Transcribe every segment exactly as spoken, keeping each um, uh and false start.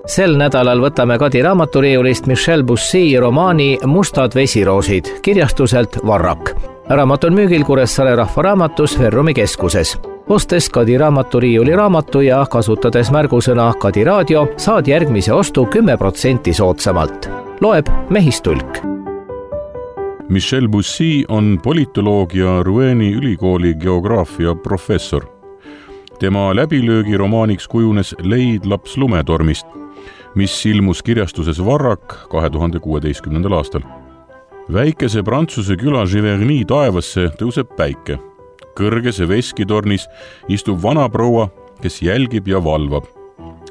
Sel nädalal võtame Kadi raamaturiiulist Michel Bussy romaani Mustad vesiroosid kirjastuselt Varrak. Raamat on müügil Kuressaare rahvaraamatus Ferrumi keskuses. Ostes Kadi raamaturiiuli raamatu ja kasutades märgusõna Kadi raadio, saad järgmise ostu kümme protsenti soodsamalt. Loeb Mehistulk. Michel Bussy on politoloogia Roueni ülikooli geograafia professor. Tema läbilöögi romaaniks kujunes Leid laps lumetormist, mis ilmus kirjastuses Varrak kahe tuhande kuueteistkümnendal aastal. Väikese Prantsuse küla Giverny taevasse tõuseb päike. Kõrgese veskitornis istub vanaproua, kes jälgib ja valvab.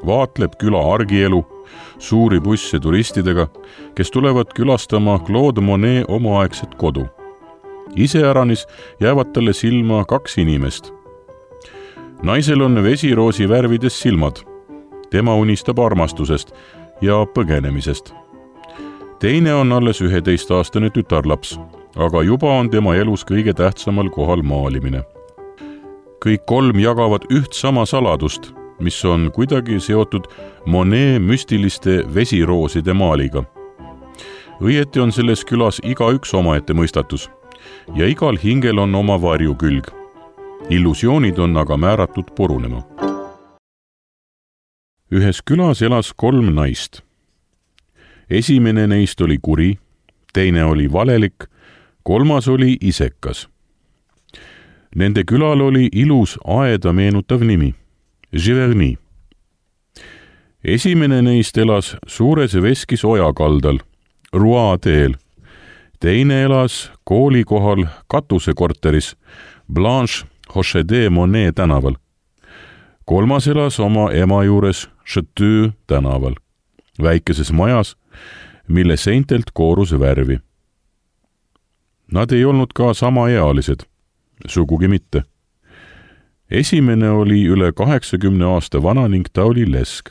Vaatleb küla argielu, suuri busse turistidega, kes tulevad külastama Claude Monet omaaegset kodu. Iseäranis jäävad talle silma kaks inimest. Naisel on vesiroosi värvides silmad. Tema unistab armastusest ja põgenemisest. Teine on alles üheteistaastane tütarlaps, aga juba on tema elus kõige tähtsamal kohal maalimine. Kõik kolm jagavad üht sama saladust, mis on kuidagi seotud Monet müstiliste vesirooside maaliga. Õieti on selles külas iga üks omaette mõistatus ja igal hingel on oma varjukülg. Illusioonid on aga määratud purunema. Ühes külas elas kolm naist. Esimene neist oli kuri, teine oli valelik, kolmas oli isekas. Nende külal oli ilus aeda meenutav nimi, Giverny. Esimene neist elas suures veskis oja kaldal, Rouen teel. Teine elas kooli kohal katusekorteris, Blanche Hochede Monet tänaval. Kolmas elas oma ema juures Château tänaval, väikeses majas, mille seintelt koorus värvi. Nad ei olnud ka samaealised, sugugi mitte. Esimene oli üle kaheksakümne aasta vana ning ta oli lesk.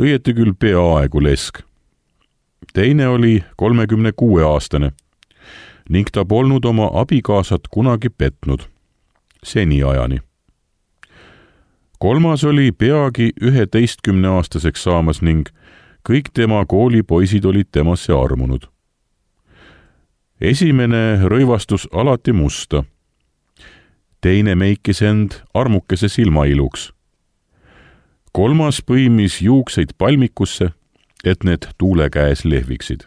Õieti küll peaaegu lesk. Teine oli kolmekümne kuue aastane ning ta polnud oma abikaasat kunagi petnud, seni ajani. Kolmas oli peagi üheteistkümne aastaseks saamas ning kõik tema koolipoisid olid temasse armunud. Esimene rõivastus alati musta. Teine meikis end armukese silmailuks. Kolmas põimis juukseid palmikusse, et need tuule käes lehviksid.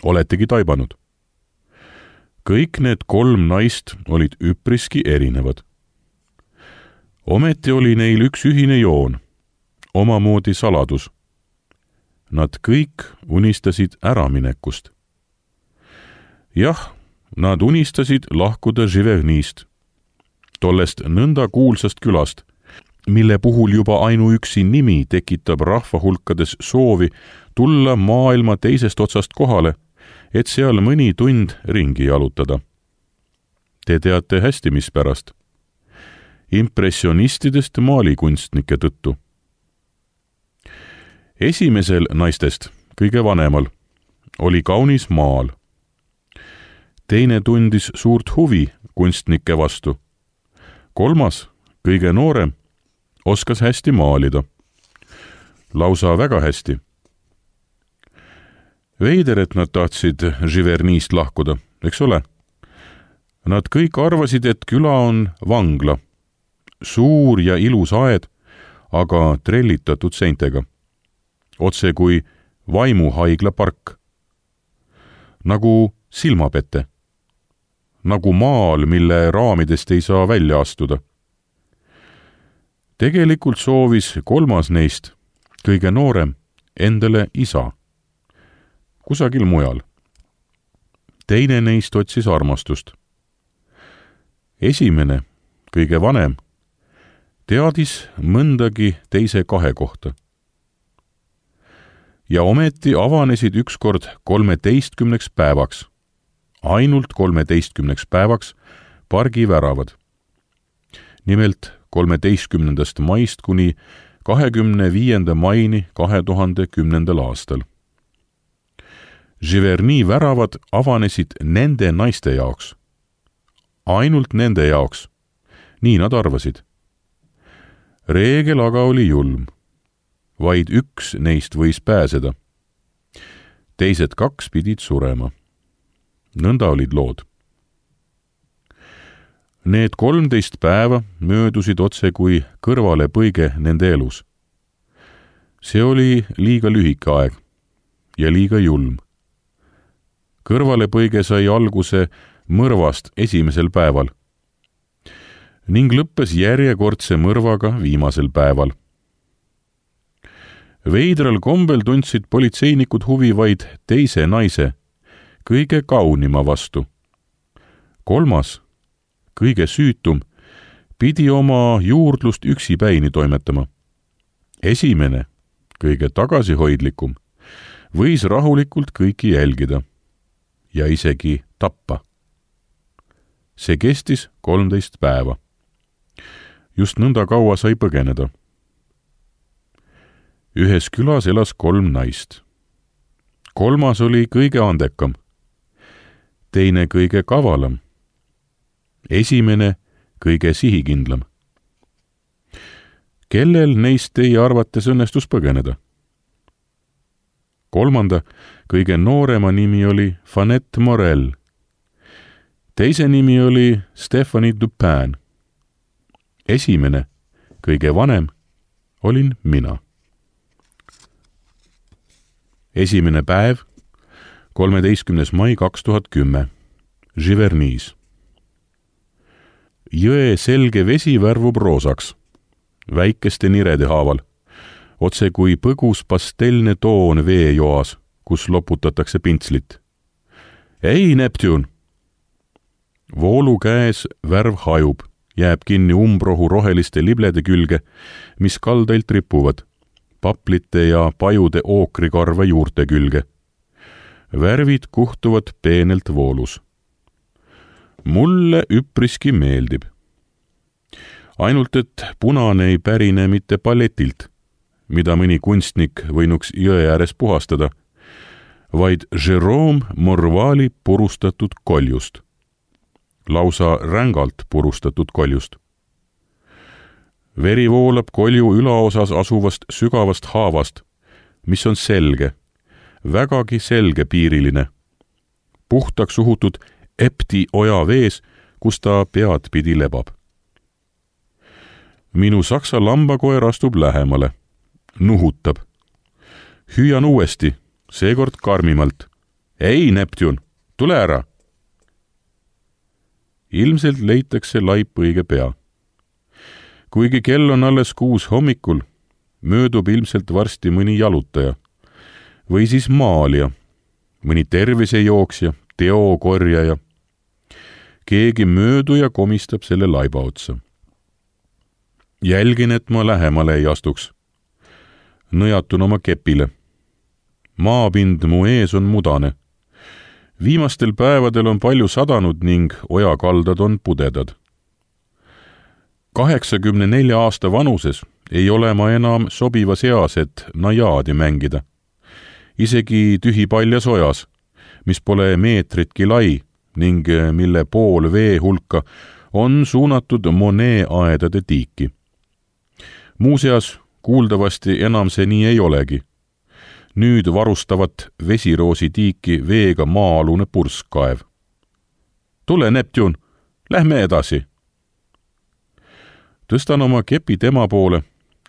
Oletegi taibanud. Kõik need kolm naist olid üpriski erinevad. Ometi oli neil üks ühine joon, omamoodi saladus. Nad kõik unistasid äraminekust. Jah, nad unistasid lahkuda Givernyst, tollest nõnda kuulsast külast, mille puhul juba ainuüksi nimi tekitab rahvahulkades soovi tulla maailma teisest otsast kohale, et seal mõni tund ringi jalutada. Te teate hästi, mis pärast. Impressionistidest maalikunstnike tõttu. Esimesel naistest, kõige vanemal, oli kaunis maal. Teine tundis suurt huvi kunstnike vastu. Kolmas, kõige noorem, oskas hästi maalida. Lausa väga hästi. Veider, et nad tahtsid Givernyst lahkuda, eks ole? Nad kõik arvasid, et küla on vangla. Suur ja ilus aed, aga trellitatud seintega. Otse kui vaimuhaigla park. Nagu silmapette. Nagu maal, mille raamidest ei saa välja astuda. Tegelikult soovis kolmas neist, kõige noorem, endale isa. Kusagil mujal. Teine neist otsis armastust. Esimene, kõige vanem, teadis mõndagi teise kahe kohta. Ja ometi avanesid ükskord kolmeteistkümneks päevaks, ainult kolmeteistkümneks päevaks pargi väravad. Nimelt kolmeteistkümnendast maist kuni kahekümne viienda maini kahe tuhande kümnendal aastal. Giverny väravad avanesid nende naiste jaoks. Ainult nende jaoks. Nii nad arvasid. Reegel aga oli julm. vaid üks neist võis pääseda. Teised kaks pidid surema. Nõnda olid lood. Need kolmteist päeva möödusid otse kui kõrvale põige nende elus. See oli liiga lühike aeg ja liiga julm. Kõrvale põige sai alguse mõrvast esimesel päeval ning lõppes järjekordse mõrvaga viimasel päeval. Veidral kombel tundsid politseinikud huvi vaid teise naise, kõige kaunima vastu. Kolmas, kõige süütum, pidi oma juurdlust üksipäini toimetama. Esimene, kõige tagasihoidlikum, võis rahulikult kõiki jälgida ja isegi tappa. See kestis kolmteist päeva. Just nõnda kaua sai põgeneda. Ühes külas elas kolm naist. Kolmas oli kõige andekam, teine kõige kavalam, esimene kõige sihikindlam. Kellel neist teie arvates õnnestus põgeneda? Kolmanda, kõige noorema nimi oli Fanette Morel. Teise nimi oli Stephanie Dupin. Esimene, kõige vanem, olin mina. Esimene päev, kolmeteistkümnes mai kaks tuhat kümme, Giverny's. Jõe selge vesi värvub roosaks, väikeste nirede haaval, otse kui põgus pastelne toon veejoas, kus loputatakse pintslit. Ei, Neptune! Voolu käes värv hajub, jääb kinni umbrohu roheliste liblede külge, mis kaldailt ripuvad, paplite ja pajude ookrikarve juurte külge. Värvid kuhtuvad peenelt voolus. Mulle üpriski meeldib. Ainult, et punane ei pärine mitte palletilt, mida mõni kunstnik võinuks jõe ääres puhastada, vaid Jérôme Morvali purustatud koljust. Lausa rängalt purustatud koljust. Veri voolab kolju ülaosas asuvast sügavast haavast, mis on selge, vägagi selge piiriline, puhtaks uhutud Epti oja vees, kus ta pead pidi lebab. Minu saksa lambakoer astub lähemale, nuhutab. Hüüan uuesti, seekord karmimalt. Ei, Neptune, tule ära! Ilmselt leitakse laip õige pea. Kuigi kell on alles kuus hommikul, möödub ilmselt varsti mõni jalutaja või siis maalija, mõni tervisejooksja, teokorjaja. Keegi mööduja komistab selle laiba otsa. Jälgin, et ma lähemale ei astuks. Nõjatun oma kepile. Maapind mu ees on mudane. Viimastel päevadel on palju sadanud ning ojakaldad on pudedad. kaheksakümne nelja aasta vanuses ei ole ma enam sobivas eas, et najaadi mängida. Isegi tühipaljas ojas, mis pole meetritki lai ning mille pool vee hulka on suunatud Monet aedade tiiki. Muuseas, kuuldavasti enam see nii ei olegi. Nüüd varustavat vesiroosi tiiki veega maa-alune purskkaev. Tule, Neptune, lähme edasi! Tõstan oma kepi tema poole,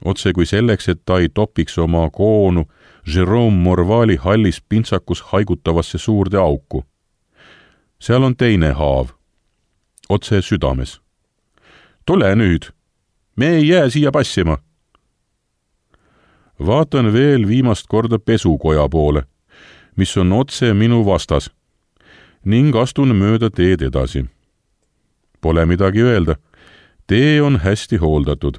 otse kui selleks, et ta ei topiks oma koonu Jérôme Morvali hallis pintsakus haigutavasse suurde auku. Seal on teine haav, otse südames. Tule nüüd, me ei jää siia passima! Vaatan veel viimast korda pesukoja poole, mis on otse minu vastas, ning astun mööda teed edasi. Pole midagi öelda, tee on hästi hooldatud.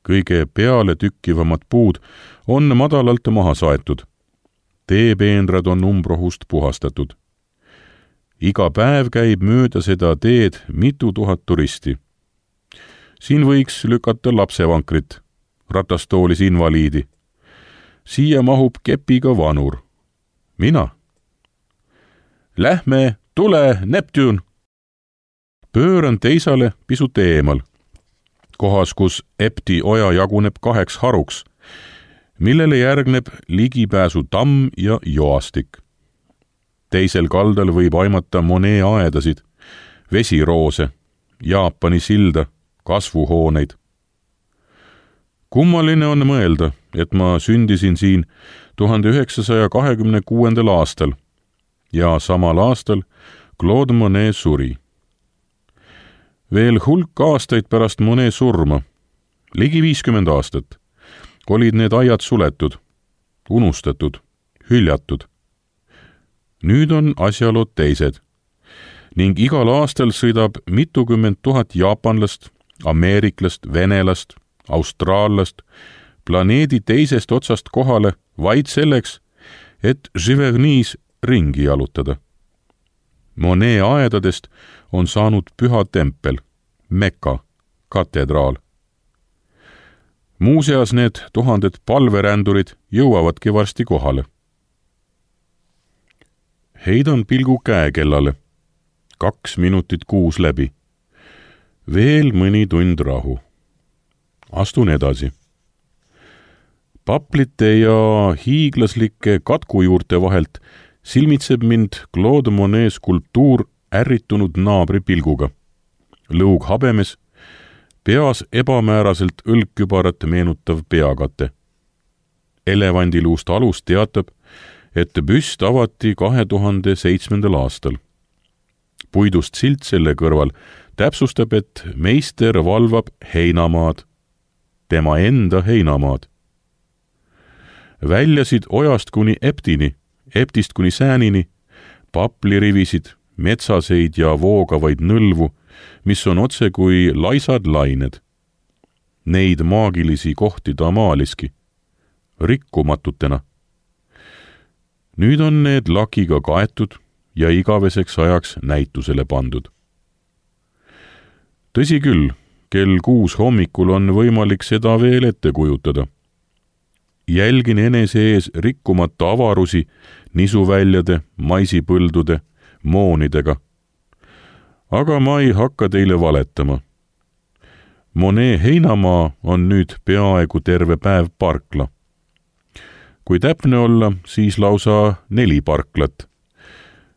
Kõige peale tükkivamad puud on madalalt maha saetud. Teepeenrad on umbrohust puhastatud. Iga päev käib mööda seda teed mitu tuhat turisti. Siin võiks lükata lapsevankrit, ratastoolis invaliidi. Siia mahub kepiga vanur. Mina. Lähme, tule, Neptune! Pööran teisale pisut eemal, kohas, kus Epti oja jaguneb kaheks haruks millele järgneb ligipääsu tamm ja joastik. Teisel kaldal võib aimata Monet aedasid, vesiroose, Jaapani silda, kasvuhooneid. Kummaline on mõelda, et ma sündisin siin tuhande üheksasaja kahekümne kuuendal aastal ja samal aastal Claude Monet suri. Veel hulk aastaid pärast Monet surma, ligi viiskümmend aastat, olid need aiad suletud, unustatud, hüljatud. Nüüd on asjalood teised ning igal aastal sõidab mitukümmend tuhat jaapanlast, ameeriklast, venelast, austraallast, planeedi teisest otsast kohale vaid selleks, et Giverny's ringi jalutada. Monet aedadest on saanud püha tempel, Mekka, katedraal. Muuseas need tuhanded palverändurid jõuavadki varsti kohale. Heidan pilgu käekellale. Kaks minutit kuus läbi. Veel mõni tund rahu. Astun edasi. Paplite ja hiiglaslike katkujuurte vahelt silmitseb mind Claude Monet skulptuur ärritunud naabri pilguga. Lõug habemes, peas ebamääraselt õlgkübarat meenutav peakate. Elevandiluust alus teatab, et büst avati kahe tuhande seitsmendal aastal. Puidust silt selle kõrval täpsustab, et meister valvab heinamaad, tema enda heinamaad. Väljasid ojast kuni Eptini, Eptist kuni Säänini, paplirivisid, metsaseid ja voogavaid nõlvu, mis on otse kui laisad lained. Neid maagilisi kohti ta maaliski, rikkumatutena. Nüüd on need lakiga kaetud ja igaveseks ajaks näitusele pandud. Tõsi küll, kell kuus hommikul on võimalik seda veel ette kujutada. Jälgin enese ees rikkumata avarusi nisuväljade, maisipõldude, moonidega. Aga ma ei hakka teile valetama. Monet heinamaa on nüüd peaaegu terve päev parkla. Kui täpne olla, siis lausa neli parklat,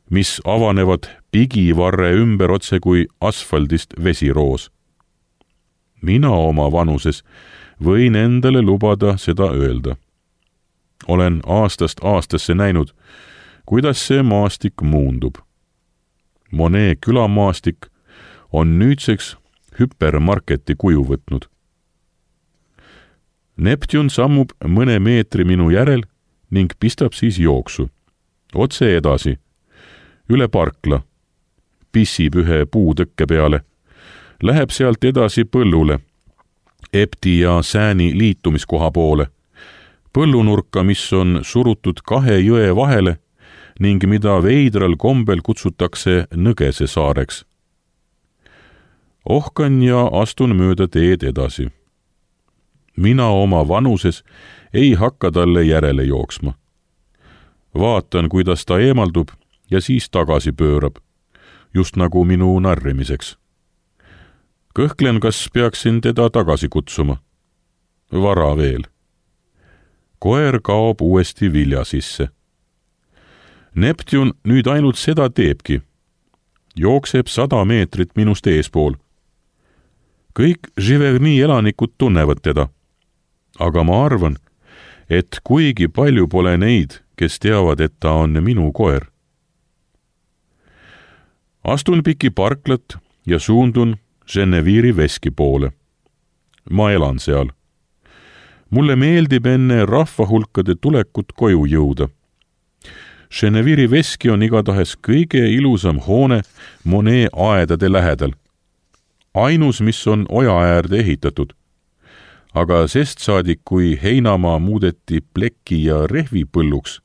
mis avanevad pigivarre ümber otse kui asfaldist vesiroos. Mina oma vanuses võin endale lubada seda öelda. Olen aastast aastasse näinud, kuidas see maastik muundub. Monet külamaastik on nüüdseks hüpermarketi kuju võtnud. Neptun sammub mõne meetri minu järel ning pistab siis jooksu. Otse edasi, üle parkla, pissib ühe puutõkke peale, läheb sealt edasi põllule, Epti ja Sääni liitumiskoha poole, põllunurka, mis on surutud kahe jõe vahele ning mida veidral kombel kutsutakse Nõgese saareks. Ohkan ja astun mööda teed edasi. Mina oma vanuses ei hakka talle järele jooksma. Vaatan, kuidas ta eemaldub ja siis tagasi pöörab, just nagu minu narrimiseks. Kõhklen, kas peaksin teda tagasi kutsuma. Vara veel. Koer kaob uuesti vilja sisse. Neptun nüüd ainult seda teebki. Jookseb sada meetrit minust eespool. Kõik Giverny elanikud tunnevad teda. Aga ma arvan, et kuigi palju pole neid, kes teavad, et ta on minu koer. Astun piki parklat ja suundun Genevieri veski poole. Ma elan seal. Mulle meeldib enne rahvahulkade tulekut koju jõuda. Genevieri veski on igatahes kõige ilusam hoone Monet aedade lähedal. Ainus, mis on oja äärde ehitatud. Aga sest saadik, kui heinamaa muudeti pleki ja rehvipõlluks,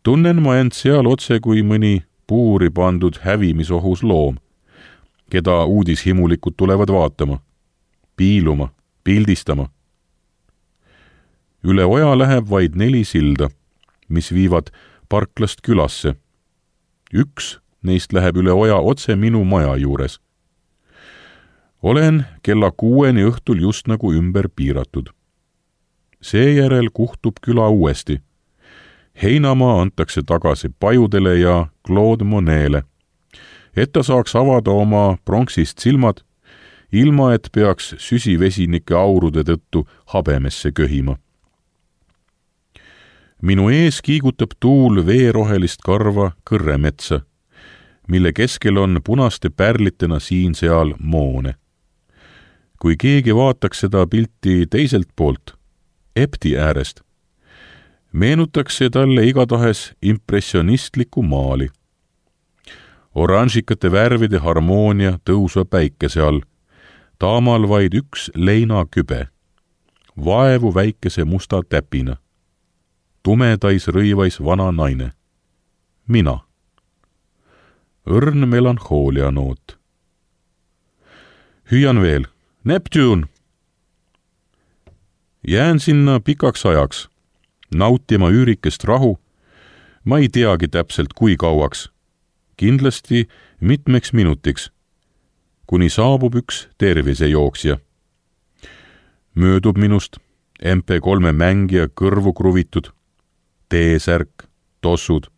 tunnen ma end seal otse kui mõni puuri pandud hävimisohus loom, keda uudishimulikud tulevad vaatama, piiluma, pildistama. Üle oja läheb vaid neli silda, mis viivad parklast külasse. Üks neist läheb üle oja otse minu maja juures. Olen kella kuueni õhtul just nagu ümber piiratud. seejärel kuhtub küla uuesti. Heinamaa antakse tagasi Pajudele ja Claude Monet'le, et ta saaks avada oma pronksist silmad, ilma et peaks süsivesinike aurude tõttu habemesse köhima. Minu ees kiigutab tuul veerohelist karva kõrremetsa, mille keskel on punaste pärlitena siin-seal moone. Kui keegi vaataks seda pilti teiselt poolt, Epti äärest, meenutaks see talle igatahes impressionistliku maali. Oranžikate värvide harmoonia tõusva päikese all, taamal vaid üks leinakübe, vaevu väikese musta täpina. Tumedais rõivais vana naine. Mina. Õrn melanhoolia noot. Hüüan veel. Neptune! Jään sinna pikaks ajaks, nautima üürikest rahu, ma ei teagi täpselt kui kauaks, kindlasti mitmeks minutiks, kuni saabub üks tervisejooksja. Möödub minust M P kolme mängija kõrvu kruvitud, T-särk, tossud.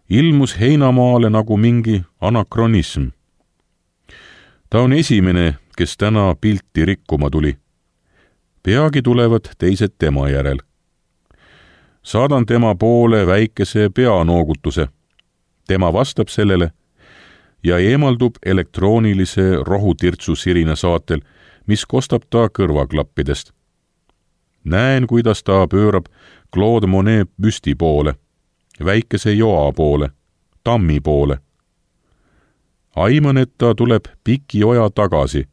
Ilmus Heinamaale nagu mingi anakronism. Ta on esimene, kes täna pilti rikkuma tuli. Peagi tulevad teised tema järel. Saadan tema poole väikese peanoogutuse. Tema vastab sellele ja eemaldub elektroonilise rohutirtsu sirina saatel, mis kostab ta kõrvaklappidest. Näen, kuidas ta pöörab Claude Monet büsti poole, väikese joa poole, tammi poole. Aiman, et ta tuleb piki oja tagasi,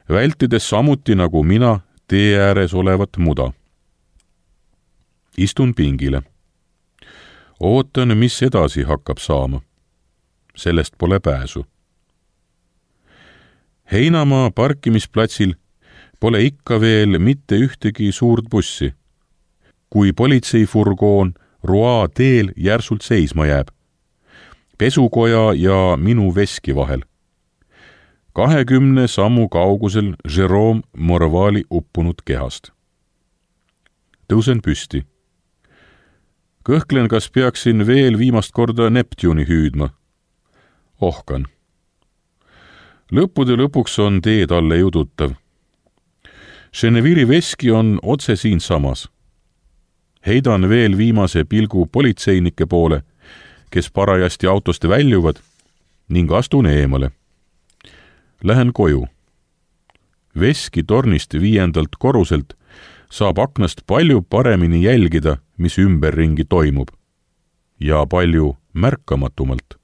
vältides samuti nagu mina tee ääres olevat muda. Istun pingile. Ootan, mis edasi hakkab saama. Sellest pole pääsu. Heinamaa parkimisplatsil pole ikka veel mitte ühtegi suurt bussi. Kui politseifurgoon Roa teel järsult seisma jääb, pesukoja ja minu veski vahel. Kahekümne sammu kaugusel Jérôme Morvali uppunud kehast. Tõusen püsti. Kõhklen, kas peaksin veel viimast korda Neptune'i hüüdma. Ohkan. Lõppude lõpuks on tee talle jõudutav. Geneville'i veski on otse siin samas. Heidan veel viimase pilgu politseinike poole, kes parajasti autost väljuvad, ning astun eemale. Lähen koju. Veski tornist viiendalt koruselt saab aknast palju paremini jälgida, mis ümberringi toimub, ja palju märkamatumalt.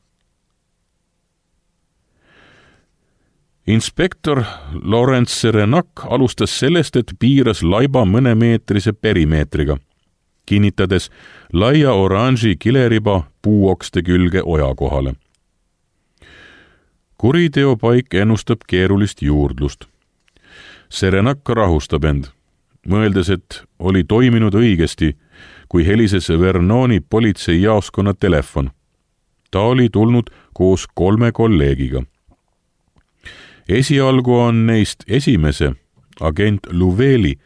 Inspektor Laurent Serenac alustas sellest, et piiras laiba mõnemeetrise perimeetriga, kinnitades laia oranži kileriba puuokste külge oja kohale. Kuriteopaik ennustab keerulist juurdlust. Serenac rahustab end, mõeldes, et oli toiminud õigesti, kui helises Vernoni politseijaoskonna telefon. Ta oli tulnud koos kolme kolleegiga. Esialgu on neist esimese, agent Louveli,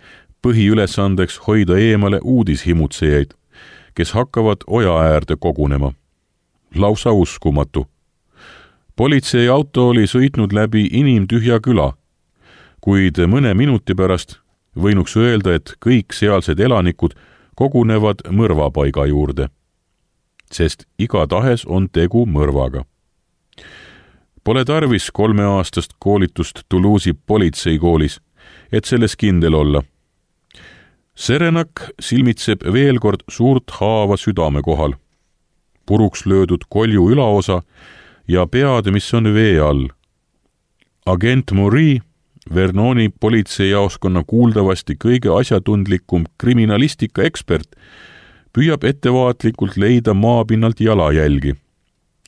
põhiülesandeks hoida eemale uudishimutsejaid, kes hakkavad oja äärde kogunema. Lausa uskumatu. Politseiauto oli sõitnud läbi inimtühja küla, kuid mõne minuti pärast võinuks öelda, et kõik sealsed elanikud kogunevad mõrvapaiga juurde, sest igatahes on tegu mõrvaga. Pole tarvis kolmeaastast koolitust Toulouse'i politseikoolis, et selles kindel olla. Serenac silmitseb veel kord suurt haava südame kohal, puruks löödud kolju ülaosa ja pead, mis on vee all. Agent Moury, Vernoni politseijaoskonna kuuldavasti kõige asjatundlikum kriminalistika ekspert, püüab ettevaatlikult leida maapinnalt jalajälgi,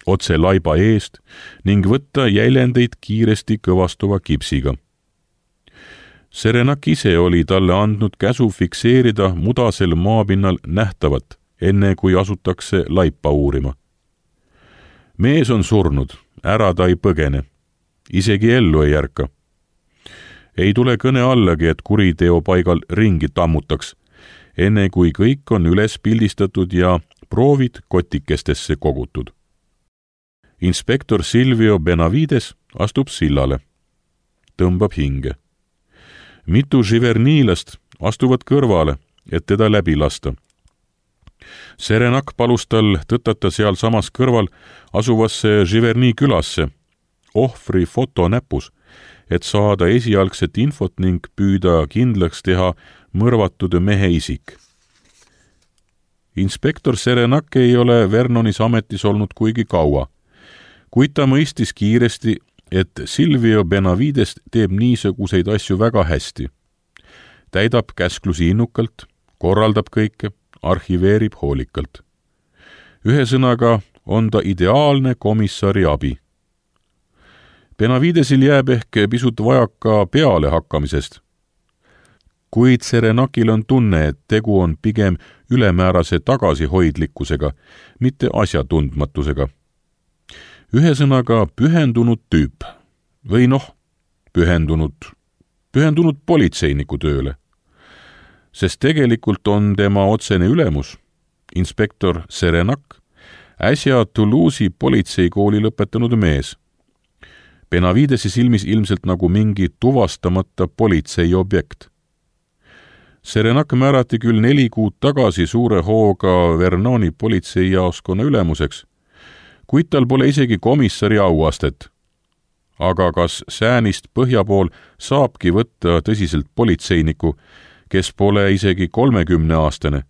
otse laiba eest ning võtta jäljendeid kiiresti kõvastuva kipsiga. Serenac ise oli talle andnud käsu fikseerida mudasel maapinnal nähtavat, enne kui asutakse laipa uurima. Mees on surnud, ära ta ei põgene, isegi ellu ei ärka. Ei tule kõne allagi, et kuriteopaigal ringi tammutaks, enne kui kõik on üles pildistatud ja proovid kotikestesse kogutud. Inspektor Silvio Benavides astub sillale. Tõmbab hinge. Mitu živerniilast astuvad kõrvale, et teda läbi lasta. Serenak palus tal tõtata seal samas kõrval asuvasse Živerni külasse, ohvri foto näpus, et saada esialgset infot ning püüda kindlaks teha mõrvatud mehe isik. Inspektor Serenak ei ole Vernonis ametis olnud kuigi kaua, kuid ta mõistis kiiresti, et Silvio Benavides teeb niisuguseid asju väga hästi. Täidab käsklusi innukalt, korraldab kõike, arhiveerib hoolikalt. Ühesõnaga on ta ideaalne komissari abi. Benavidesil jääb ehk pisut vajaka peale hakkamisest, kuid Serenakil on tunne, et tegu on pigem ülemäärase tagasihoidlikkusega, mitte asjatundmatusega. Ühesõnaga pühendunud tüüp või noh, pühendunud, pühendunud politseiniku tööle. Sest tegelikult on tema otsene ülemus, inspektor Serenak, äsja Toulouse'i politseikooli lõpetanud mees. Benavidesi silmis ilmselt nagu mingi tuvastamata politsei objekt. Serenak määrati küll neli kuud tagasi suure hooga Vernoni politseijaoskonna ülemuseks, kuid tal pole isegi komissari auastet. Aga kas säänist põhja pool saabki võtta tõsiselt politseiniku, kes pole isegi kolmekümneaastane,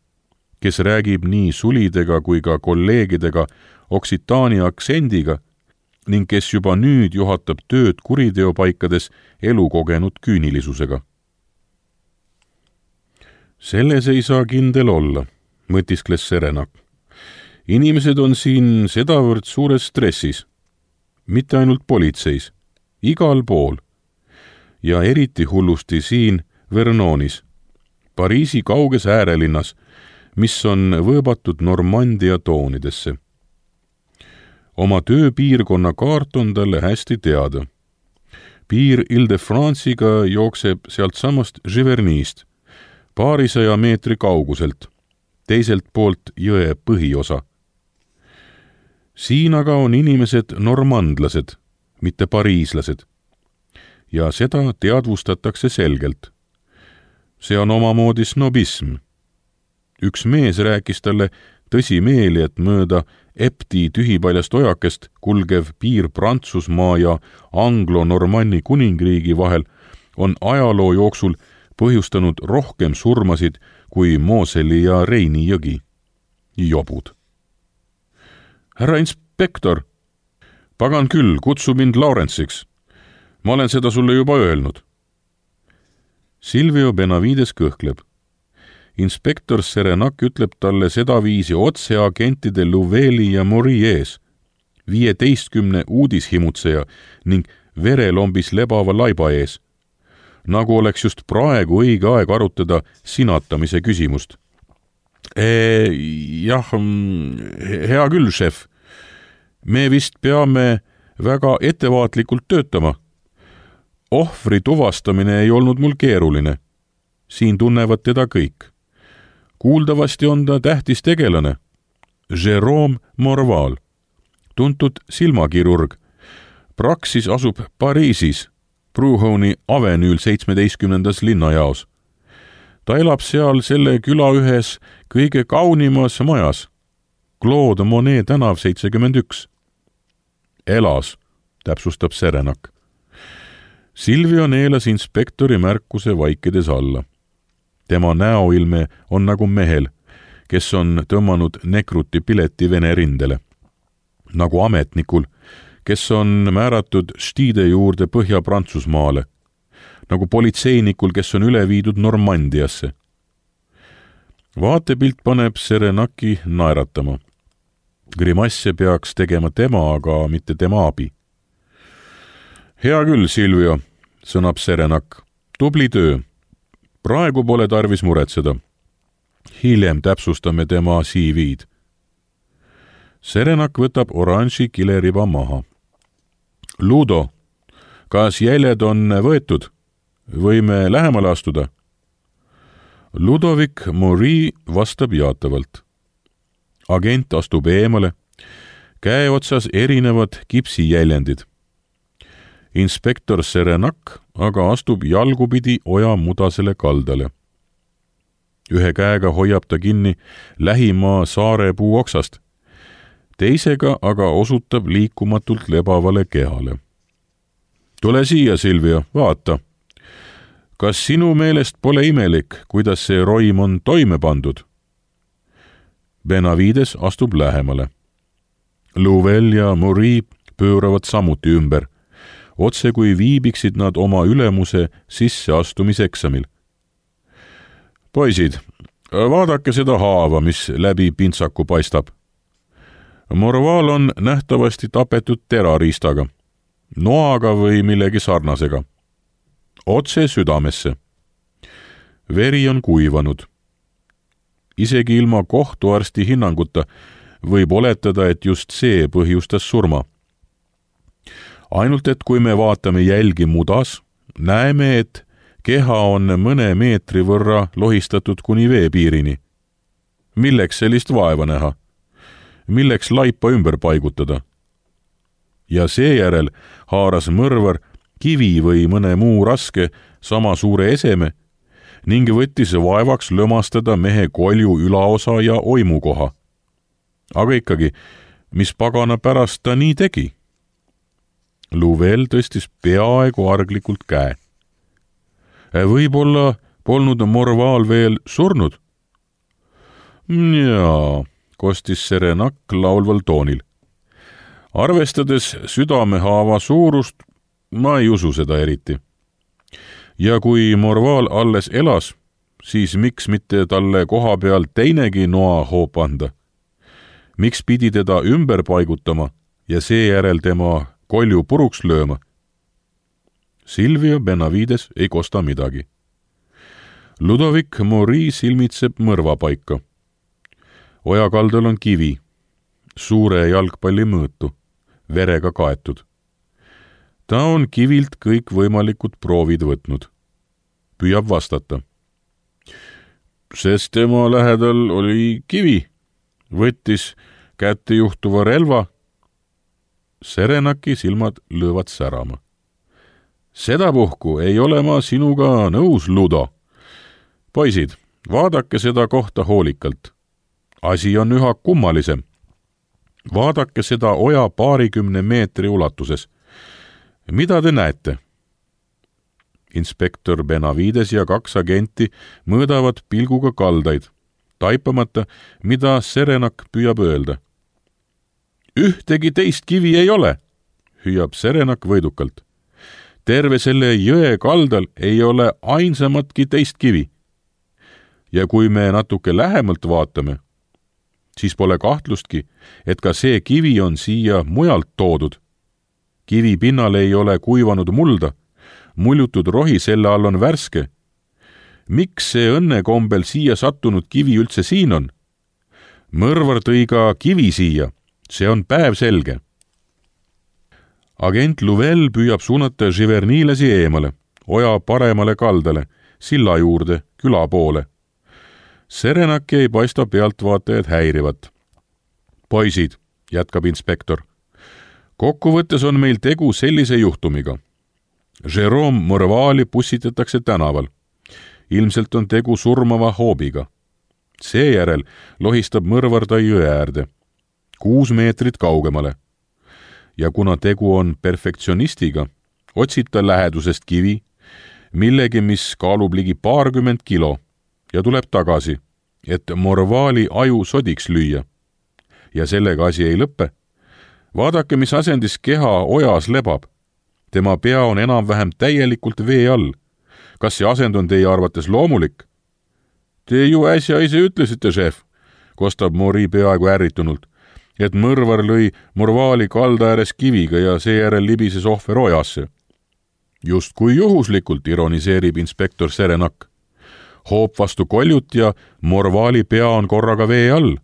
kes räägib nii sulidega kui ka kolleegidega Oksitaania aktsendiga ning kes juba nüüd juhatab tööd kuriteopaikades elukogenud küünilisusega. Selles ei saa kindel olla, mõtiskles Serenak. Inimesed on siin sedavõrd suures stressis, mitte ainult politseis, igal pool ja eriti hullusti siin Vernonis, Pariisi kauges äärelinnas, mis on võõbatud Normandia toonidesse. Oma tööpiirkonna kaart on talle hästi teada. Piir Ile-de-France'iga jookseb sealt samast Živernist, paarisaja meetri kauguselt, teiselt poolt jõe põhiosa. Siin aga on inimesed normandlased, mitte pariislased. Ja seda teadvustatakse selgelt. See on omamoodi snobism. Üks mees rääkis talle tõsimeeli, et mööda Epti tühipaljast ojakest kulgev piir Prantsusmaa ja Anglo-Normanni kuningriigi vahel on ajaloo jooksul põhjustanud rohkem surmasid kui Moseli ja Reini jõgi. Jobud. Härra inspektor, pagan küll, kutsu mind Laurentsiks. Ma olen seda sulle juba öelnud. Silvio Benavides kõhkleb. Inspektor Serenak ütleb talle sedaviisi otse agentide Louveli ja Moriers, viieteistkümne uudishimutseja ning verelombis lebava laiba ees, nagu oleks just praegu õige aeg arutada sinatamise küsimust. E, jah, hea küll, šef. Me vist peame väga ettevaatlikult töötama. Ohvri tuvastamine ei olnud mul keeruline. Siin tunnevad teda kõik. Kuuldavasti on ta tähtis tegelane. Jérôme Morval, tuntud silmakirurg. Praksis asub Pariisis, Prouhoni avenüül seitsmeteistkümnendas linnajaos. Ta elab seal selle küla ühes kõige kaunimas majas, Claude Monet tänav seitsekümmend üks. Elas, täpsustab Serenak. Silvio neelas inspektori märkuse vaikides alla. Tema näoilme on nagu mehel, kes on tõmmanud nekruti pileti Vene rindele. Nagu ametnikul, kes on määratud Stide juurde Põhja-Prantsusmaale. Nagu politseinikul, kes on üle viidud Normandiasse. Vaatepilt paneb Serenaki naeratama. Grimasse peaks tegema tema, aga mitte tema abi. Hea küll, Silvio, sõnab Serenak. Tubli töö. Praegu pole tarvis muretseda. Hiljem täpsustame tema C V-d. Serenak võtab oranži kileriba maha. Ludo, kas jäljed on võetud? Võime lähemale astuda? Ludovic Maury vastab jaatavalt. Agent astub eemale, käe otsas erinevad kipsijäljendid. Inspektor Serenak aga astub jalgupidi oja mudasele kaldale. Ühe käega hoiab ta kinni lähima saarepuu oksast, teisega aga osutab liikumatult lebavale kehale. Tule siia, Silvia, vaata. Kas sinu meelest pole imelik, kuidas see roim on toime pandud? Benavides astub lähemale. Louvel ja Maury pööravad samuti ümber, otse kui viibiksid nad oma ülemuse sisseastumiseksamil. Poisid, vaadake seda haava, mis läbi pintsaku paistab. Morval on nähtavasti tapetud terariistaga, noaga või millegi sarnasega. Otse südamesse. Veri on kuivanud. Isegi ilma kohtuarsti hinnanguta võib oletada, et just see põhjustas surma. Ainult et kui me vaatame jälgi mudas, näeme, et keha on mõne meetri võrra lohistatud kuni veepiirini. Milleks sellist vaeva näha? Milleks laipa ümber paigutada? Ja seejärel haaras mõrvar kivi või mõne muu raske sama suure eseme ning võttis vaevaks lömastada mehe kolju ülaosa ja oimukoha. Aga ikkagi, mis pagana pärast ta nii tegi? Louvel tõstis peaaegu arglikult käe. Võib-olla polnud Morval veel surnud? Jaa, kostis Serenak laulval toonil. Arvestades südamehaava suurust, ma ei usu seda eriti. Ja kui Morval alles elas, siis miks mitte talle koha peal teinegi noa hoop anda? Miks pidi teda ümber paigutama ja seejärel tema kolju puruks lööma? Silvia Benavides ei kosta midagi. Ludovic Maury silmitseb mõrvapaika. Ojakaldal on kivi, suure jalgpalli mõõtu, verega kaetud. Ta on kivilt kõik võimalikud proovid võtnud. Püüab vastata. Sest tema lähedal oli kivi, võttis kätte juhtuva relva. Serenaki silmad löövad särama. Sedapuhku ei ole ma sinuga nõus, Ludo. Poisid, vaadake seda kohta hoolikalt. Asi on üha kummalisem. Vaadake seda oja paarikümne meetri ulatuses. Mida te näete? Inspektor Benavides ja kaks agenti mõõdavad pilguga kaldaid, taipamata, mida Serenak püüab öelda. Ühtegi teist kivi ei ole, hüüab Serenak võidukalt. Terve selle jõe kaldal ei ole ainsamatki teist kivi. Ja kui me natuke lähemalt vaatame, siis pole kahtlustki, et ka see kivi on siia mujalt toodud. Kivi pinnal ei ole kuivanud mulda, muljutud rohi selle all on värske. Miks see õnnekombel siia sattunud kivi üldse siin on? Mõrvar tõi ka kivi siia, see on päev selge. Agent Louvel püüab suunata Giverniilasi eemale, oja paremale kaldale, silla juurde, küla poole. Serenaki ei paista pealtvaatajad häirivat. Poisid, jätkab inspektor. Kokkuvõttes on meil tegu sellise juhtumiga. Jérôme Morvali pussitatakse tänaval. Ilmselt on tegu surmava hoobiga. Seejärel lohistab mõrvar ta jõe äärde. Kuus meetrit kaugemale. Ja kuna tegu on perfektsionistiga, otsid ta lähedusest kivi, millegi, mis kaalub ligi paarkümmend kilo, ja tuleb tagasi, et Morvali aju sodiks lüüa. Ja sellega asi ei lõppe. Vaadake, mis asendis keha ojas lebab. Tema pea on enam-vähem täielikult vee all. Kas see asend on teie arvates loomulik? Te ju äsja ise ütlesite, šef, kostab Maury peaaegu ärritunult, et mõrvar lõi Morvali kalda ääres kiviga ja seejärel libises ohver ojasse. Just kui juhuslikult, ironiseerib inspektor Serenak. Hoop vastu koljut ja Morvali pea on korraga vee all.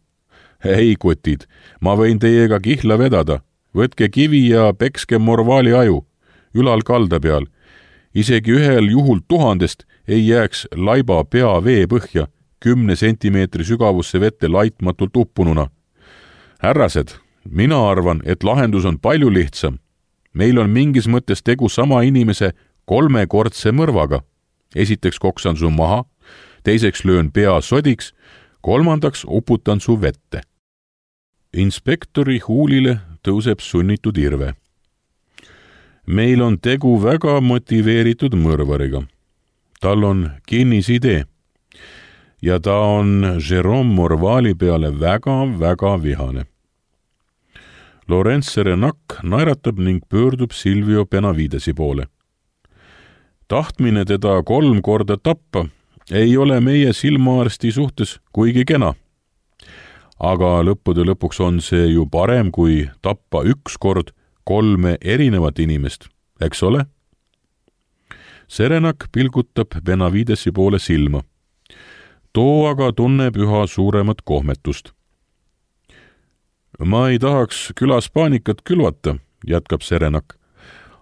Ei, kutid, ma võin teiega kihla vedada. Võtke kivi ja pekske Morvali aju, ülal kalda peal. Isegi ühel juhul tuhandest ei jääks laiba pea vee põhja kümne sentimeetri sügavusse vette laitmatult uppununa. Härrased, mina arvan, et lahendus on palju lihtsam. Meil on mingis mõttes tegu sama inimese kolmekordse mõrvaga. Esiteks koksan su maha, teiseks löön pea sodiks, kolmandaks uputan su vette. Inspektori huulile tõuseb sunnitud irve. Meil on tegu väga motiveeritud mõrvariga. Tal on kinnisidee ja ta on Jérôme Morvali peale väga-väga vihane. Laurent Serenak naeratab ning pöördub Silvio Benavidesi poole. Tahtmine teda kolm korda tappa ei ole meie silmaarsti suhtes kuigi kena. Aga lõppude lõpuks on see ju parem kui tappa üks kord kolme erinevat inimest, eks ole? Serenak pilgutab Benavidesi poole silma. Too aga tunneb üha suuremat kohmetust. Ma ei tahaks külas paanikat külvata, jätkab Serenak,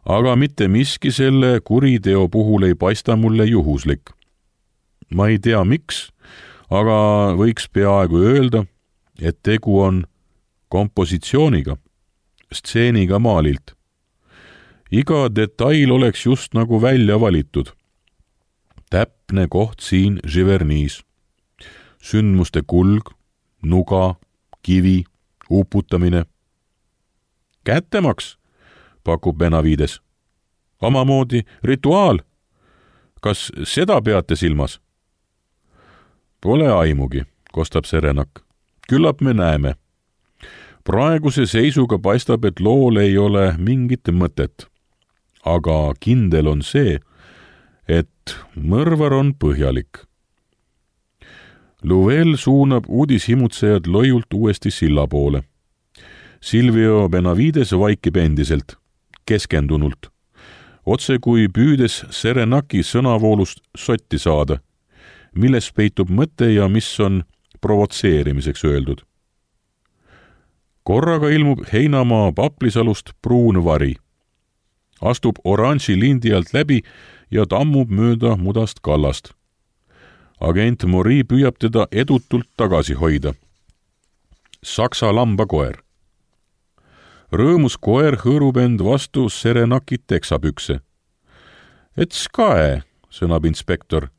aga mitte miski selle kuriteo puhul ei paista mulle juhuslik. Ma ei tea miks, aga võiks peaaegu öelda, et tegu on kompositsiooniga, stseeniga maalilt. Iga detail oleks just nagu välja valitud. Täpne koht siin Giverny's. Sündmuste kulg, nuga, kivi, uputamine. Kättemaks, pakub Benavides. Omamoodi rituaal. Kas seda peate silmas? Pole aimugi, kostab Serenak. Küllap me näeme. Praeguse seisuga paistab, et lool ei ole mingit mõtet. Aga kindel on see, et mõrvar on põhjalik. Louvel suunab uudishimutsejad loiult uuesti silla poole. Silvio Benavides vaikib endiselt, keskendunult, otse kui püüdes Serenaki sõnavoolust sotti saada, milles peitub mõte ja mis on provotseerimiseks öeldud. Korraga ilmub heinamaa paplisalust pruun vari. Astub oranži lindi alt läbi ja tammub mööda mudast kallast. Agent Mori püüab teda edutult tagasi hoida. Saksa lambakoer. Rõõmus koer hõõrub end vastu Serenaki teksapükse. Et skae, sõnab inspektor.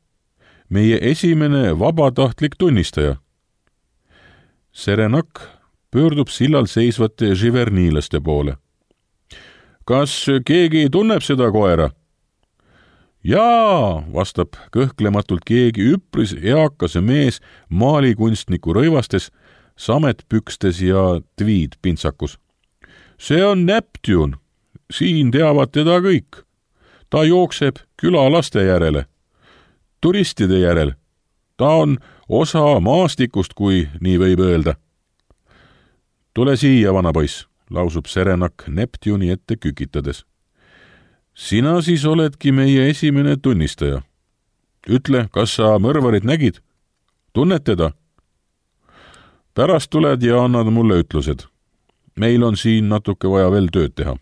Meie esimene vabatahtlik tunnistaja. Serenak pöördub sillal seisvate Givernylaste poole. Kas keegi tunneb seda koera? Jaa, vastab kõhklematult keegi üpris eakase mees maalikunstniku rõivastes, sametpükstes ja tweed-pintsakus. See on Neptune. Siin teavad teda kõik. Ta jookseb külalaste järele. Turistide järel. Ta on osa maastikust, kui nii võib öelda. Tule siia, vana poiss, lausub Serenak Neptune'i ette kükitades. Sina siis oledki meie esimene tunnistaja. Ütle, kas sa mõrvarit nägid? Tunned teda? Pärast tuled ja annad mulle ütlused. Meil on siin natuke vaja veel tööd teha.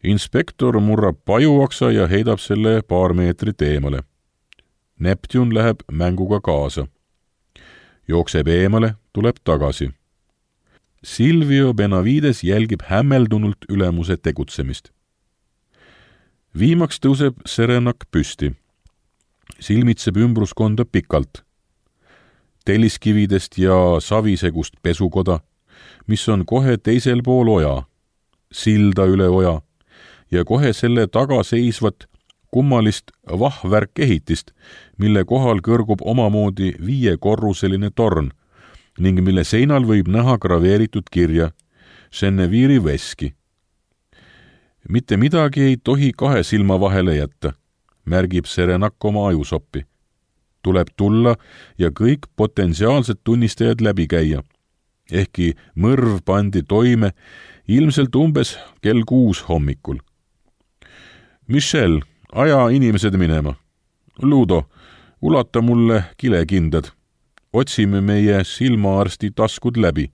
Inspektor murrab pajuaksa ja heidab selle paar meetrit eemale. Neptune läheb mänguga kaasa. Jookseb eemale, tuleb tagasi. Silvio Benavides jälgib hämmeldunult ülemuse tegutsemist. Viimaks tõuseb Serenak püsti. Silmitseb ümbruskonda pikalt. Telliskividest ja savisegust pesukoda, mis on kohe teisel pool oja, silda üle oja ja kohe selle taga seisvat kummalist vahvärkehitist, mille kohal kõrgub omamoodi viiekorruseline torn ning mille seinal võib näha graveeritud kirja Geneviève'i veski. Mitte midagi ei tohi kahe silma vahele jätta, märgib Serenak oma ajusoppi. Tuleb tulla ja kõik potentsiaalsed tunnistajad läbi käia. Ehkki mõrv pandi toime ilmselt umbes kell kuus hommikul. Michel, aja inimesed minema. Ludo, ulata mulle kilekindad. Otsime meie silmaarsti taskud läbi.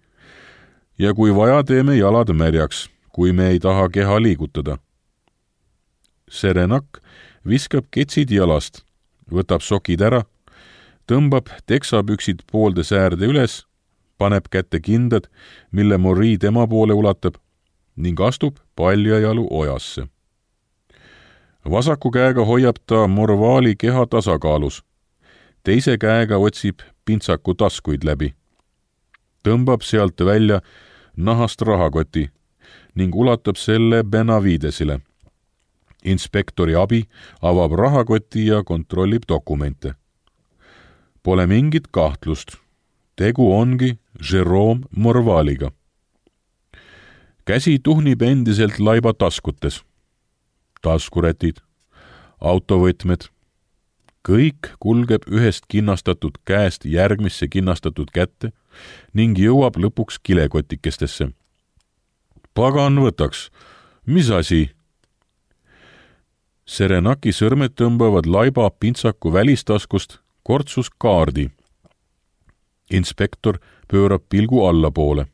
Ja kui vaja, teeme jalad märjaks, kui me ei taha keha liigutada. Serenak viskab ketsid jalast, võtab sokid ära, tõmbab teksapüksid poolde säärde üles, paneb kätte kindad, mille Marie tema poole ulatab ning astub paljajalu ojasse. Vasaku käega hoiab ta Morvaali keha tasakaalus, teise käega otsib pintsaku taskuid läbi. Tõmbab sealt välja nahast rahakoti ning ulatab selle Benavidesile. Inspektori abi avab rahakoti ja kontrollib dokumente. Pole mingit kahtlust. Tegu ongi Jerome Morvaaliga. Käsi tuhnib endiselt laiba taskutes. Taskurätid, autovõtmed. Kõik kulgeb ühest kinnastatud käest järgmisse kinnastatud kätte ning jõuab lõpuks kilekotikestesse. Pagan võtaks. Mis asi? Serenaki sõrmed tõmbavad laiba pintsaku välistaskust kortsus kaardi. Inspektor pöörab pilgu allapoole.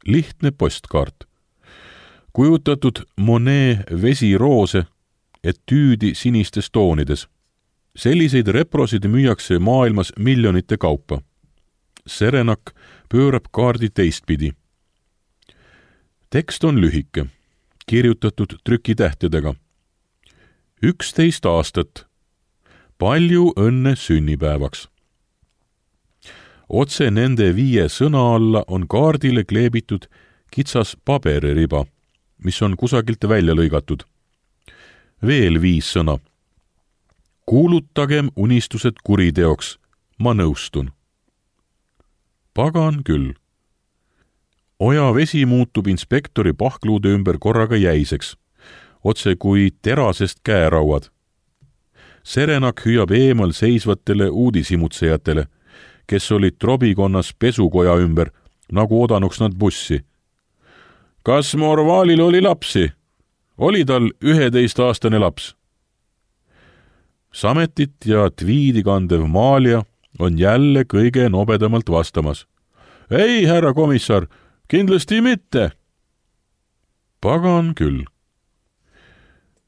Lihtne postkaart. Kujutatud Monet vesiroose, etüüdi sinistes toonides. Selliseid reprosid müüakse maailmas miljonite kaupa. Serenak pöörab kaardi teistpidi. Tekst on lühike, kirjutatud trükitähtedega. üksteist aastat. Palju õnne sünnipäevaks. Otse nende viie sõna alla on kaardile kleebitud kitsas pabeririba, mis on kusagilt välja lõigatud. Veel viis sõna. Kuulutagem unistused kuriteoks, ma nõustun. Pagan küll. Oja vesi muutub inspektori pahkluude ümber korraga jäiseks, otse kui terasest käerauad. Serenak hüüab eemal seisvatele uudisimutsejatele, kes olid trobikonnas pesukoja ümber, nagu odanuks nad bussi. Kas Morvaalil oli lapsi? Oli tal üheteistaastane laps? Sametit ja tviidi kandev Maalia on jälle kõige nobedamalt vastamas. Ei, härra komissar, kindlasti mitte. Pagan küll.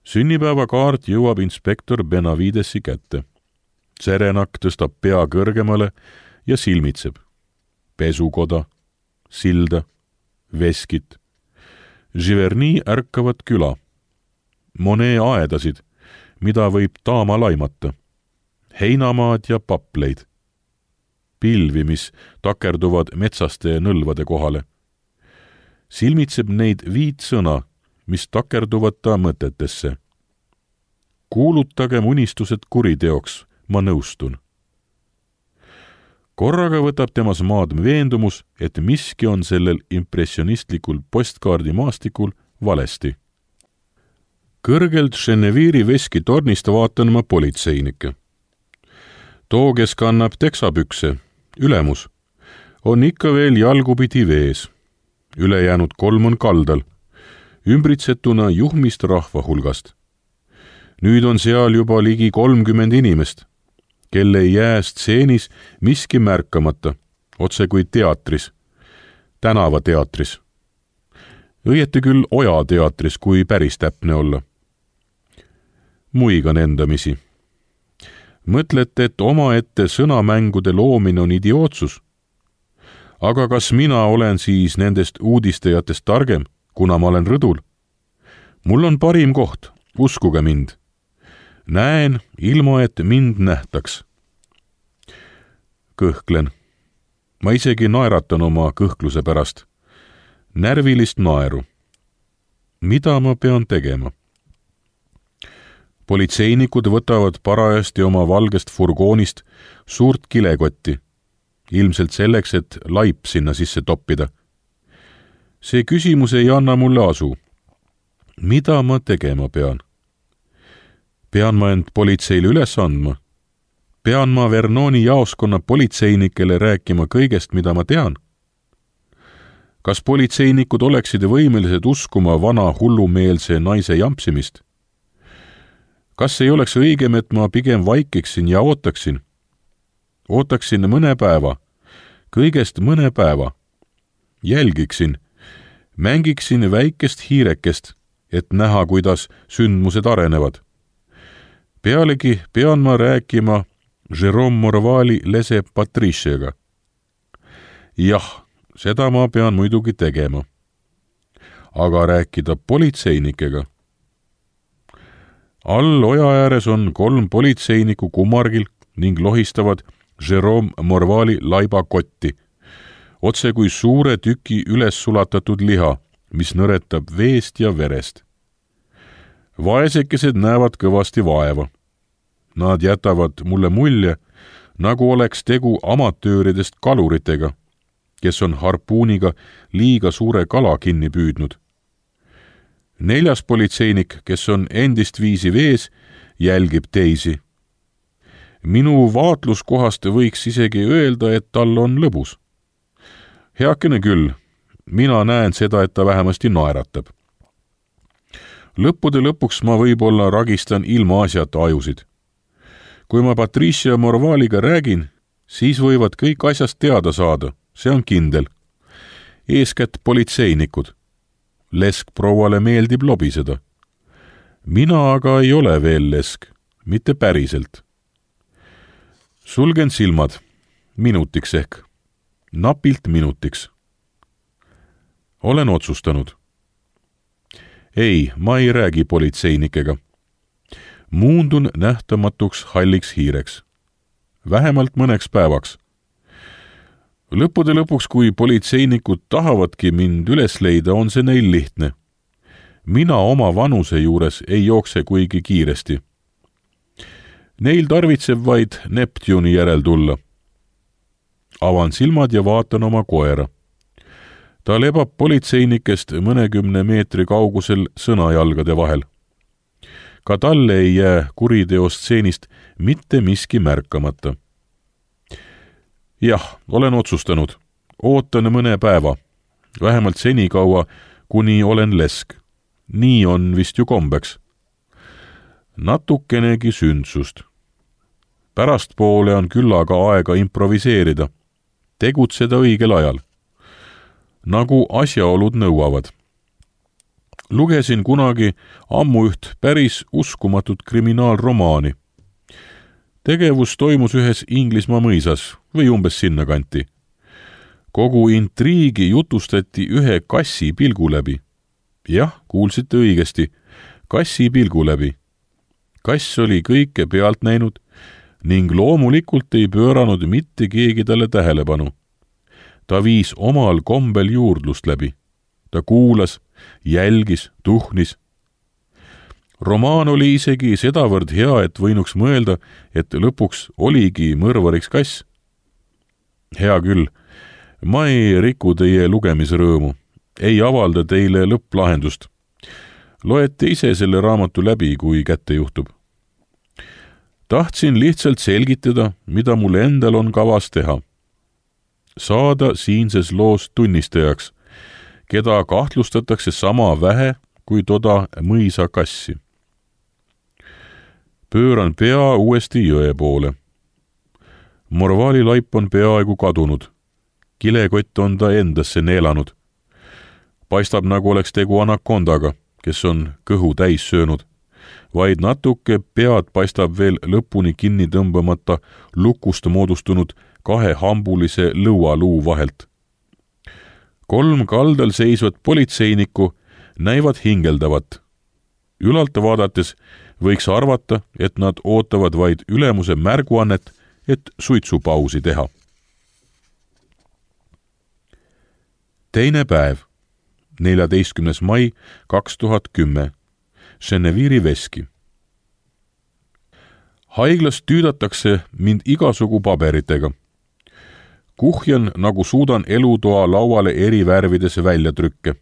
Sünnipäevakaart jõuab inspektor Benavidesi kätte. Serenak tõstab pea kõrgemale ja silmitseb. Pesukoda, silda, veskit. Giverny ärkavad küla. Monet aedasid, mida võib taama laimata. Heinamaad ja papleid. Pilvi, mis takerduvad metsaste nõlvade kohale. Silmitseb neid viit sõna, mis takerduvad ta mõtetesse. Kuulutagem unistused kuriteoks, ma nõustun. Korraga võtab temas maad veendumus, et miski on sellel impressionistlikul postkaardi maastikul valesti. Kõrgelt Geneviiri veski tornist vaatan ma politseinikke. Too, kes kannab teksapükse, ülemus, on ikka veel jalgupidi vees. Ülejäänud kolm on kaldal, ümbritsetuna juhmist rahva hulgast. Nüüd on seal juba ligi kolmkümmend inimest, kelle ei jää stseenis miski märkamata, otse kui teatris, tänavateatris. Õieti küll Oja teatris, kui päris täpne olla. Muigan endamisi. Mõtlete, et omaette sõnamängude loomine on idiootsus? Aga kas mina olen siis nendest uudistajatest targem, kuna ma olen rõdul? Mul on parim koht, uskuge mind. Näen, ilma et mind nähtaks. Kõhklen. Ma isegi naeratan oma kõhkluse pärast. Närvilist naeru. Mida ma pean tegema? Politseinikud võtavad parajasti oma valgest furgoonist suurt kilekotti, ilmselt selleks, et laip sinna sisse toppida. See küsimus ei anna mulle asu. Mida ma tegema pean? Pean ma end politseile üles andma? Pean ma Vernoni jaoskonna politseinikele rääkima kõigest, mida ma tean? Kas politseinikud oleksid võimelised uskuma vana hullumeelse naise jampsimist? Kas ei oleks õigem, et ma pigem vaikiksin ja ootaksin? Ootaksin mõne päeva, kõigest mõne päeva. Jälgiksin, mängiksin väikest hiirekest, et näha, kuidas sündmused arenevad. pealegi pean ma rääkima Jérôme Morvali lese Patriciaga. jah, seda ma pean muidugi tegema. aga rääkida politseinikega. all oja ääres on kolm politseinikku kummargil ning lohistavad Jérôme Morvali laibakotti, otse kui suure tüki üles sulatatud liha, mis nõretab veest ja verest. Vaesekesed näevad kõvasti vaeva. Nad jätavad mulle mulje, nagu oleks tegu amatööridest kaluritega, kes on harpuuniga liiga suure kala kinni püüdnud. Neljas politseinik, kes on endist viisi vees, jälgib teisi. Minu vaatluskohast võiks isegi öelda, et tal on lõbus. Heakene küll, mina näen seda, et ta vähemasti naeratab. Lõppude lõpuks ma võib-olla ragistan ilma asjata ajusid. Kui ma Patricia Morvaliga räägin, siis võivad kõik asjast teada saada, see on kindel. Eeskätt politseinikud. Lesk prouale meeldib lobiseda. Mina aga ei ole veel lesk, mitte päriselt. Sulgen silmad, minutiks ehk, napilt minutiks. Olen otsustanud. Ei, ma ei räägi politseinikega. Muundun nähtamatuks halliks hiireks. Vähemalt mõneks päevaks. Lõppude lõpuks, kui politseinikud tahavadki mind üles leida, on see neil lihtne. Mina oma vanuse juures ei jookse kuigi kiiresti. Neil tarvitseb vaid Neptuni järel tulla. Avan silmad ja vaatan oma koera. Ta lebab politseinikest mõnekümne meetri kaugusel sõnajalgade vahel. Ka talle ei jää kuriteostseenist mitte miski märkamata. Jah, olen otsustanud. Ootan mõne päeva. Vähemalt senikaua, kuni olen lesk. Nii on vist ju kombeks. Natukenegi sündsust. Pärastpoole on küllaga aega improviseerida. Tegutseda õigel ajal. Nagu asjaolud nõuavad. Lugesin kunagi ammu üht päris uskumatut kriminaalromaani. Tegevus toimus ühes Inglismaa mõisas või umbes sinna kanti. Kogu intriigi jutustati ühe kassi pilgu läbi. Jah, kuulsite õigesti, kassi pilgu läbi. Kass oli kõike pealt näinud ning loomulikult ei pööranud mitte keegi talle tähelepanu. Ta viis omal kombel juurdlust läbi. Ta kuulas, jälgis, tuhnis. Romaan oli isegi sedavõrd hea, et võinuks mõelda, et lõpuks oligi mõrvariks kass. Hea küll, ma ei riku teie lugemisrõõmu, ei avalda teile lõpplahendust. Loete ise selle raamatu läbi, kui kätte juhtub. Tahtsin lihtsalt selgitada, mida mul endal on kavas teha. Saada siinses loos tunnistajaks, keda kahtlustatakse sama vähe kui toda mõisa kassi. Pööran pea uuesti jõe poole. Morvali laip on peaaegu kadunud. Kilekott on ta endasse neelanud. Paistab, nagu oleks tegu anakondaga, kes on kõhu täis söönud. Vaid natuke pead paistab veel lõpuni kinni tõmbamata lukust moodustunud kahe hambulise lõualuu vahelt. Kolm kaldal seisvat politseinikku näivad hingeldavat. Ülalt vaadates võiks arvata, et nad ootavad vaid ülemuse märguannet, et suitsupausi teha. Teine päev, neljateistkümnes mai kaks tuhat kümme, Gennevieri veski. Haiglas tüüdatakse mind igasugu paberitega. Kuhjan, nagu suudan elutoa lauale eri värvides väljatrükke.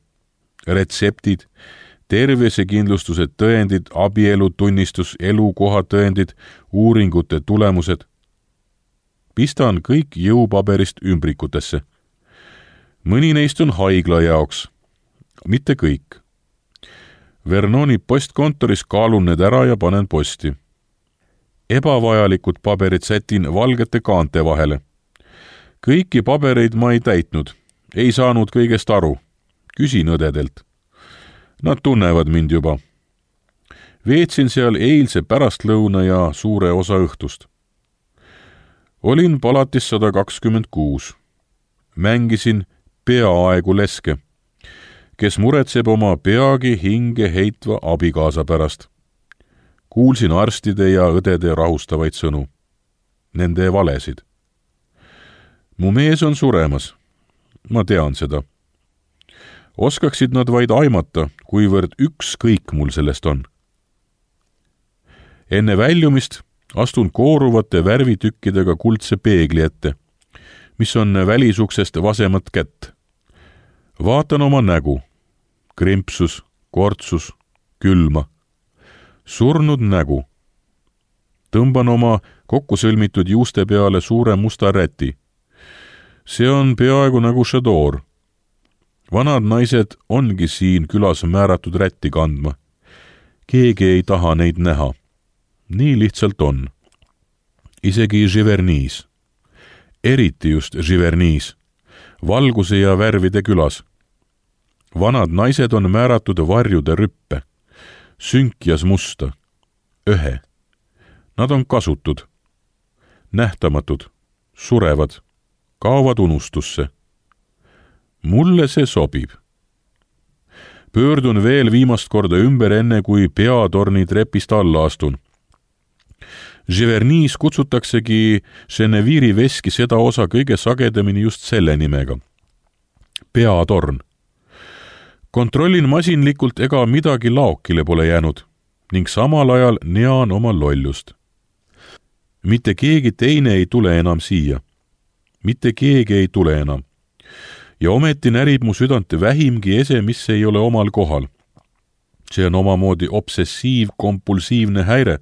Retseptid, tervisekindlustused, tõendid, abielutunnistus, elukohatõendid, uuringute tulemused. Pistan kõik jõupaberist ümbrikutesse. Mõni neist on haigla jaoks, mitte kõik. Vernoni postkontoris kaalun need ära ja panen posti. Ebavajalikud paberid sätin valgete kaante vahele. Kõiki pabereid ma ei täitnud, ei saanud kõigest aru. Küsin õdedelt. Nad tunnevad mind juba. veetsin seal eilse pärastlõuna ja suure osa õhtust. Olin palatis sada kakskümmend kuus. Mängisin peaaegu leske, kes muretseb oma peagi hinge heitva abikaasa pärast. Kuulsin arstide ja õdede rahustavaid sõnu. Nende valesid. Mu mees on suremas. Ma tean seda. Oskaksid nad vaid aimata, kuivõrd ükskõik mul sellest on. Enne väljumist astun kooruvate värvitükkidega kuldse peegli ette, mis on välisuksest vasemat kätt. Vaatan oma nägu. Krimpsus, kortsus, külma. Surnud nägu. Tõmban oma kokkusõlmitud juuste peale suure musta räti. See on peaaegu nagu šadoor. Vanad naised ongi siin külas määratud rätti kandma. Keegi ei taha neid näha. Nii lihtsalt on. Isegi Givernis. Eriti just Givernis. Valguse ja värvide külas. Vanad naised on määratud varjude rüppe. Sünkjas musta. Öhe. Nad on kasutud. Nähtamatud. Surevad. Kaovad unustusse. Mulle see sobib. Pöördun veel viimast korda ümber enne, kui peatorni trepist alla astun. Givernis kutsutaksegi Geneviiri veski seda osa kõige sagedamini just selle nimega. Peatorn. Kontrollin masinlikult, ega midagi laokile pole jäänud ning samal ajal nean oma lollust. Mitte keegi teine ei tule enam siia. Mitte keegi ei tule enam. Ja ometi närib mu südant vähimgi ese, mis ei ole omal kohal. See on omamoodi obsessiiv-kompulsiivne häire,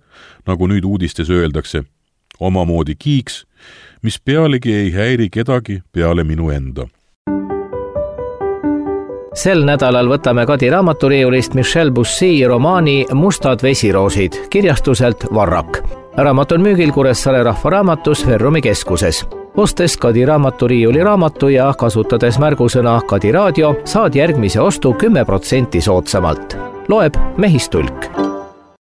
nagu nüüd uudistes öeldakse. Omamoodi kiiks, mis pealegi ei häiri kedagi peale minu enda. Sel nädalal võtame Kadi raamaturiiulist Michel Bussy romaani Mustad vesiroosid kirjastuselt Varrak. Raamat on müügil Kuressaare Rahvaraamatus Ferrumi keskuses. Ostes Kadi raamaturiiuli raamatu ja kasutades märgusõna Kadi raadio, saad järgmise ostu kümme protsenti soodsamalt. Loeb Mehistulk.